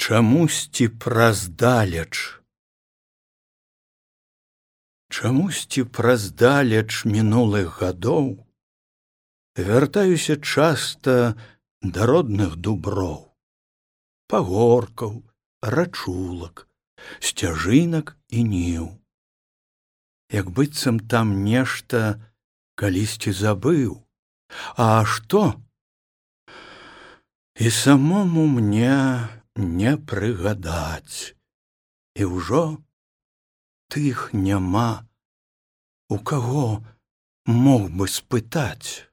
Чамусьці праздалеч. Чамусьці праздалеч мінулых гадоў вяртаюся часта да родных дуброў, пагоркаў, рачулак, сцяжынак і ніў. Як быццам там нешта калісьці забыў, а што? І самому мне не прыгадаць, і ўжо тых няма, у каго мог бы спытаць.